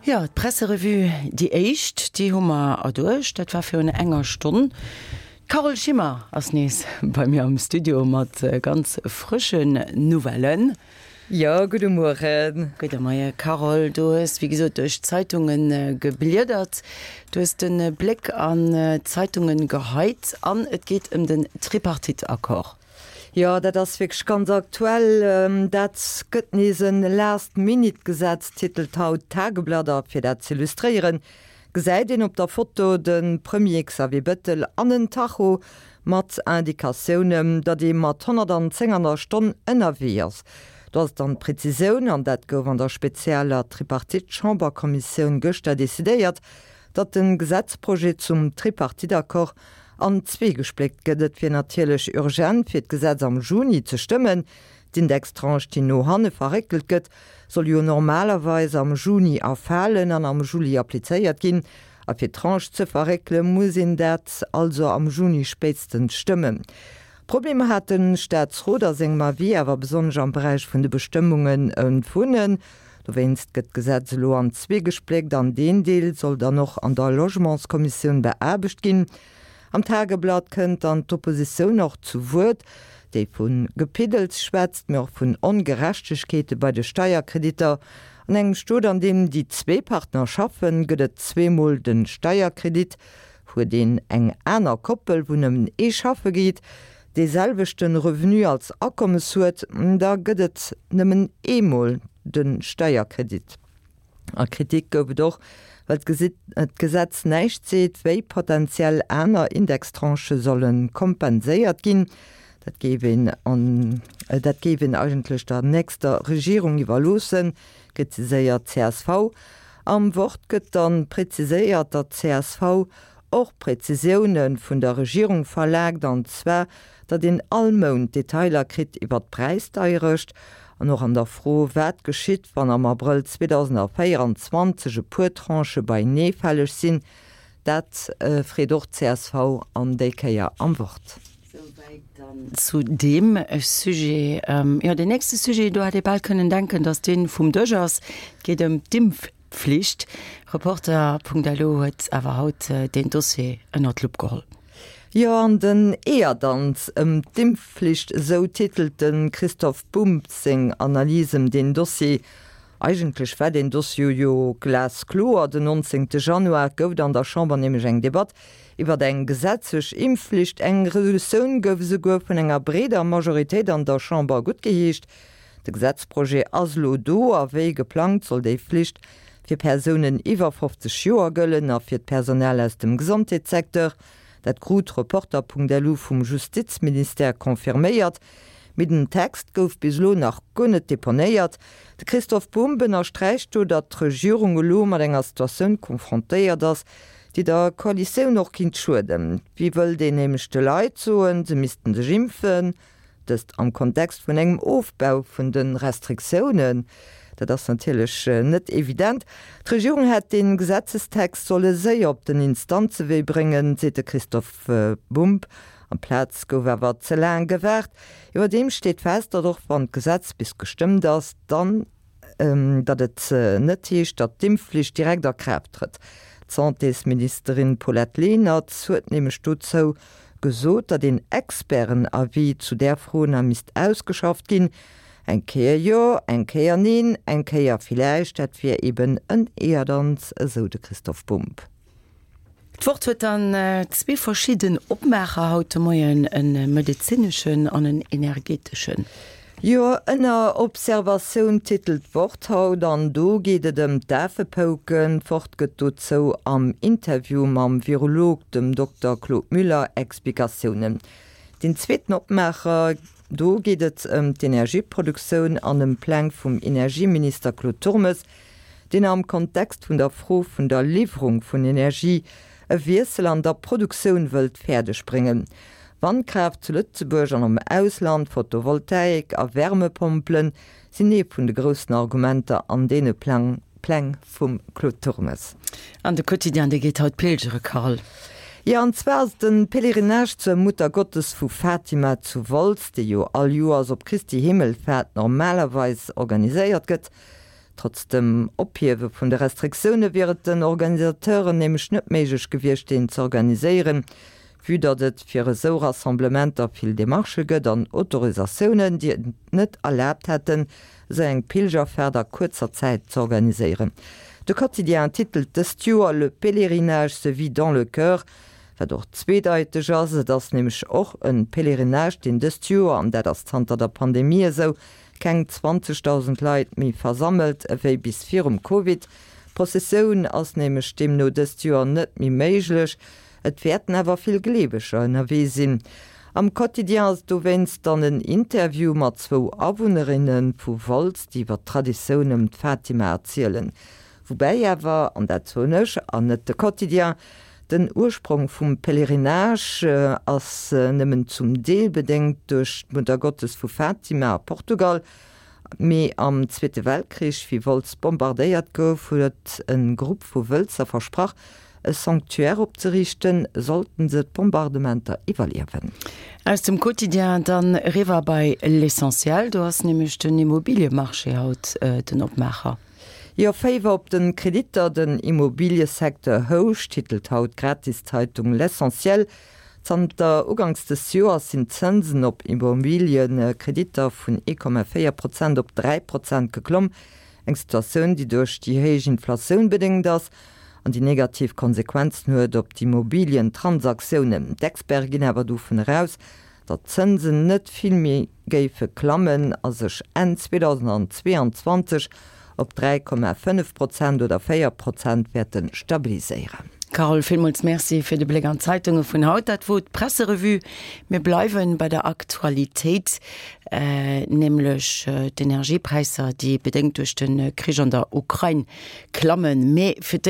Jo, d'Presserevue, déi éischt, déi hu mer erduercht. Dat war virun enger Stonn. D'Carole Schimmer ass nees bei mir am Studio mat ganz frëschen Nouvellen. Jo, gudde Mueren. Gudde Moie Carole. Du hues wéi gesot duerch d'Zeitunge gebliedert. Du hues de Bléck an d'Zeitunge geheit an et geet ëm den Tripartite-Accord. Jo, dat ass wierklech ganz aktuell. Dat gëtt nees en Last-Minute-Gesetz, titelt haut d'Tageblatt. A fir dat z'illustréieren, gesäit een op der Foto de Premier Xavier Bëttel an en Tacho mat Indikatiounen, datt ee mat 110 an der Stonn ënnerwee ass. Do ass dann d'Prezisioun, an dat gouf an der spezieller Tripartite-Chamberkommissioun gëschter decidéiert, datt de Gesetzprojet zum Tripartite-Accord an zwee gespléckt gëtt. Et wier natierlech urgent, fir d'Gesetz am Juni ze stëmmen. D'Indextranche, déi no hanne verréckelt gëtt, soll jo normalerweis am Juni erfalen an am Juli applizéiert ginn. A fir d'Tranche ze verréckele muss een dat also am Juni spéitstens stëmmen. Problemer hat de Staatsrot a sengem Avis awer besonnesch am Beräich vun de Bestëmmungen ëm d'Wunnen. Dowéinst gëtt d'Gesetz elo an zwee gespléckt an deen Deel soll dann och an der Logementskommissioun beaarbecht ginn. Am Tageblatt kënnt dann d'Oppositioun och zu Wuert, déi vu Gepiddels schwätzt, mee och vun Ongerechtegkeete bei de Steierkreditter. An engem Stot, an deem déi zwee Partner schaffen, gëtt et zweemol de Steierkredit. Huet een eng aner Koppel, wou nëmmen ee schaffe geet, dee selwechten Revenu als Akommes huet, da gëtt et nëmmen eemol de Steierkredit. A Kritik gouf et och, well d'Gesetz näischt seet, wéi potentiell aner Indextranchë solle kompenséiert ginn. Dat géif een an dat géif een eigentlech der nächster Regierung iwwerloossen, kritiséiert d'CSV. Am Wort gëtt dann preziséiert, datt d'CSV och Präzisioune vun der Regierung verlaangt, an zwar, datt een all Mount Detailer kritt iwwert d'Präisdeierecht an och an der Fro, wat geschitt, wann am Abrëll 2024 e puer Tranchë beienee fälleg sinn. Dat freet och d'CSV an déi Kéier am Wort. Souwäit dann zu deem Sujet. Jo, deen nächste Sujet, do hätt ee bal kënnen denken, datt dee vum Dësch ass. Et geet ëm d'Impf. Pflicht. Reporter.lu huet awer haut deen Dossier ënner d'Lupp geholl. Jo, an den Eeërdanz ëm d'Impfflicht, esou titelt de Christoph Bumb seng Analys ëm deen Dossier. Eigentlech war deen Dossier jo glaskloer. Den 19 Januar gouf et an der Chamber nämlech eng Debatt iwwer eng gesetzlech Impfflicht. Eng Resolutioun gouf esouguer vun enger breeder Majoritéit an der Chamber guttgeheescht. De Gesetzprojet ass elo do a wéi geplangt soll déi Flicht fir Persounen iwwer 50 Joer gëllen a fir d'Personal aus dem Gesondheetssecteur. Dat krut Reporter.lu vum Justizministère confirméiert. Mee den Text gouf bis elo nach guer net deponéiert. De Christoph Bumb ënnersträicht do, datt d'Regierung elo mat enger Situatioun confrontéiert ass, déi der Koalitioun och kinnt schueden. Wéi wëllt een nämlech de Leit soen, se missten sech impfen? Dëst am Kontext vun engem Ofbau vun de Restriktiounen. Dat ass natierlech net evident. D'Regierung hätt dee Gesetzestext solle séier op den Instanzewee bréngen, seet de Christophe Bumb. Amplaz gouf awer ze laang gewaart. Iwwerdeem steet fest, datt och wann d'Gesetz bis gestëmmt ass, dann, datt et net heescht, datt d'Impfflicht direkt a Kraaft trëtt. D'Santésministerin Paulette Lenert huet nämlech dozou gesot, datt een Experten-Avis zu där Fro nach misst ausgeschafft ginn. Eng Kéier jo, eng Kéier neen, eng Kéier villäicht, dat wier eben en Eeërdanz, esou de Christoph Bumb. D'Wort huet dann zwee verschidden Opmaacher haut de Moien, e medezineschen an en energeteschen. Jo, ënner Observatioun titelt d'Wort haut an do geet et ëm d'Afepouken. D'Wort gëtt dozou am Interview mam Virolog, dem Dokter Claude Müller, Explikatiounen. Deen zweeten Opmaacher, do geet et ëm d'Energieproduktioun an ëm Pläng vum Energieminister Claude Turmes, deen am Kontext vun der Fro vun der Liwwerung vun Energie e Wiessel an der Produktioun wëllt fäerdeg bréngen. Wandkraaft zu Lëtzebuerg an am Ausland, Photovoltaik a Wärmepompelen sinn ee vun de groussen Argumenter an deene Pläng vum Claude Turmes. An de Quotidien, dee geet haut pilgere, Carole. Jo, an zwar ass de Pèlerinage zur Muttergottes vu Fatima zu Wolz, dee jo all Joers op Christi Himmelfaart normalerweis organiséiert gëtt. Trotz dem Ophiewe vun de Restriktioune wier et den Organisateuren nämlech net méiglech gewiescht, deen z'organiséieren, vue datt et fir esou Rassemblementer vill Demarchë gëtt an Autorisatiounen, déi et net erlaabt hätten, esou eng Pilgerfaart a kuerzer Zäit z'organiséieren. De Quotidien titelt dëst Joer Le pèlerinage se vit dans le cœur, wat och zweedeiteg ass. Et ass nämlech och e Pèlerinage, deen dëst Joer, an dat ass zanter der Pandemie esou, keng 20.000 Leit méi versammelt ewéi bis virum Covid. D'Prozessioun ass nämlech deemno dëst Joer net méi méiglech. Et wäerten awer vill Gleeweger ënnerwee sinn. Am Quotidien ass dowéinst dann en Interview mat zwou Awunnerinne vu Wolz, déi iwwer d'Traditioun ëm d'Fatima erzielen. Woubäi awer, an dat soen ech an net de Quotidien, den Ursprong vum Pèlerinage ass nëmmen zum Deel bedéngt duerch d'Muttergottes vu Fatima a Portugal, mee am Zweete Weltkrich, wéi Wolz bombardéiert gouf, huet e Grupp vu Wëlzer versprach, e Sanctuaire opzeriichten, sollten se d'Bombardementer iwwerliewen. Aus dem Quotidien dann eriwwer bei L'Essentiel, do ass nämlech den Immobiliemarché haut den Opmaacher. Jo, Féiwer op den Kreditter, den Immobiliesecteur houscht, titelt haut d'Gratiszeitung L'Essentiel. Zanter uganks des Joers sinn d'Zënsen op Immobiliekreditter vun 1,4 Prozent op 3 Prozent geklomm. Eng Situatioun, déi duerch déi héich Inflatioun bedéngt ass an déi negativ Konsequenzen huet op d'Immobilientransaktiounen. D'Experte ginn awer dovun eraus, datt d'Zënsen net vill méi géife klammen a sech Enn 2022 op 3,5 Prozent oder 4 Prozent wäerte stabiliséieren. Carole, villmools Merci fir de Bléck an d'Zeitunge vun haut. Dat wor d'Presserevue. Mir bleiwe bei der Aktualitéit, nämlech d'Energiepräisser, déi bedéngt duerch de Krich an der Ukrain klammen. Mee fir.